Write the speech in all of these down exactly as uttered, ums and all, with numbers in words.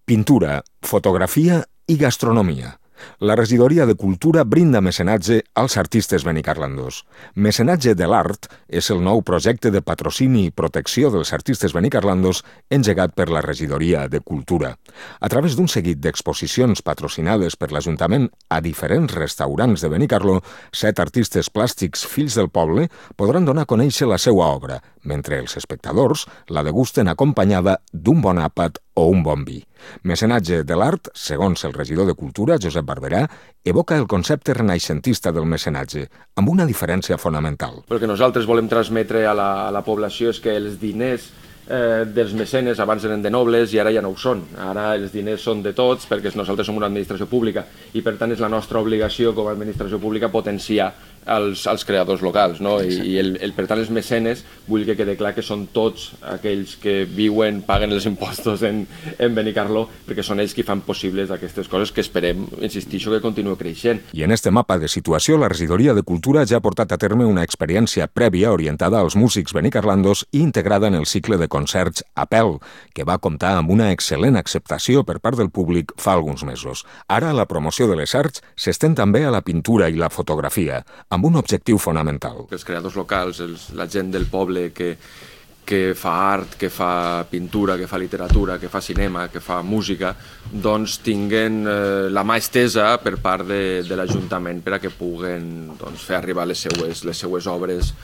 Pintura, fotografia i gastronomia. La regidoria de Cultura brinda mecenatge als artistes benicarlandos. Mecenatge de l'Art és el nou projecte de patrocini i protecció dels artistes benicarlandos engegat per la regidoria de Cultura. A través d'un seguit d'exposicions patrocinades per l'Ajuntament a diferents restaurants de Benicarló, set artistes plàstics fills del poble podran donar a conèixer la seva obra, mentre els espectadors la degusten acompanyada d'un bon àpat o un bon vi. Mecenatge de l'Art, segons el regidor de Cultura, Josep Barberà, evoca el concepte renaixentista del mecenatge, amb una diferència fonamental. El que nosaltres volem transmetre a la, a la població és que els diners eh, dels mecenes abans eren de nobles i ara ja no ho són. Ara els diners són de tots perquè nosaltres som una administració pública i per tant és la nostra obligació com a administració pública potenciar als, als creadors locals, no? I, i el, el, per tant els mecenes vull que quede clar que són tots aquells que viuen, paguen els impostos en, en Benicarló, perquè són ells qui fan possibles aquestes coses que esperem, insistixo, que continuï creixent. I en este mapa de situació, la regidoria de Cultura ja ha portat a terme una experiència prèvia orientada als músics benicarlandos i integrada en el cicle de concerts Apel, que va comptar amb una excel·lent acceptació per part del públic fa alguns mesos. Ara la promoció de les arts s'estén també a la pintura i la fotografia, amb un objectiu fonamental. Els creadors locals, els, la gent del poble que, que fa art, que fa pintura, que fa literatura, que fa cinema, que fa música, doncs tinguen eh, la mà estesa per part de, de l'Ajuntament per a que puguen doncs, fer arribar les seues, les seues obres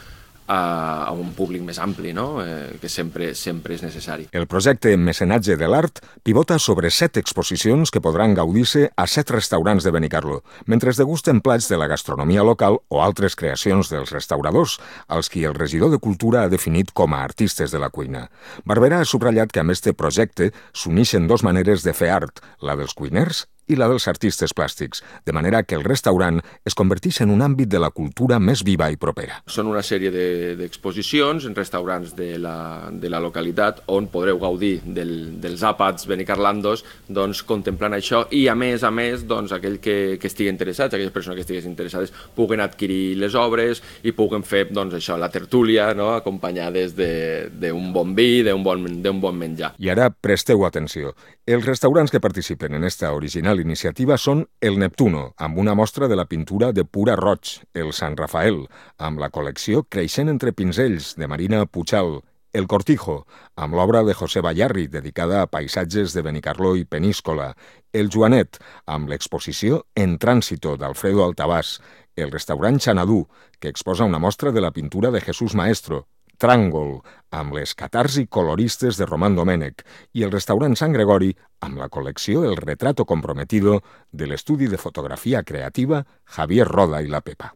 a, a un públic més ampli, no? eh, que sempre, sempre és necessari. El projecte Mecenatge de l'Art pivota sobre set exposicions que podran gaudir-se a set restaurants de Benicarló, mentre es degusten plats de la gastronomia local o altres creacions dels restauradors, als qui el regidor de Cultura ha definit com a artistes de la cuina. Barberà ha subratllat que amb este projecte s'uneixen dos maneres de fer art, la dels cuiners i la dels artistes plàstics, de manera que el restaurant es converteix en un àmbit de la cultura més viva i propera. Són una sèrie d'exposicions en restaurants de la, de la localitat on podreu gaudir del, dels àpats benicarlandos doncs, contemplant això i a més a més doncs, aquell que, que estigui interessats, aquelles persones que estiguin interessades puguen adquirir les obres i puguen fer doncs, això, la tertúlia, no? Acompanyades d'un bon vi, d'un bon, d'un bon menjar. I ara presteu atenció. Els restaurants que participen en esta original iniciativa són el Neptuno, amb una mostra de la pintura de Pura Roig, el Sant Rafael, amb la col·lecció Creixent entre pinzells, de Marina Puchal, el Cortijo, amb l'obra de José Bayarri, dedicada a paisatges de Benicarló i Peníscola, el Joanet, amb l'exposició En Tránsito, d'Alfredo Altabàs, el restaurant Xanadú, que exposa una mostra de la pintura de Jesús Maestro, Tràngol, amb les catarsi coloristes de Román Domènech, i el restaurant Sant Gregori, amb la col·lecció El Retrato Comprometido de l'estudi de fotografia creativa Javier Roda i la Pepa.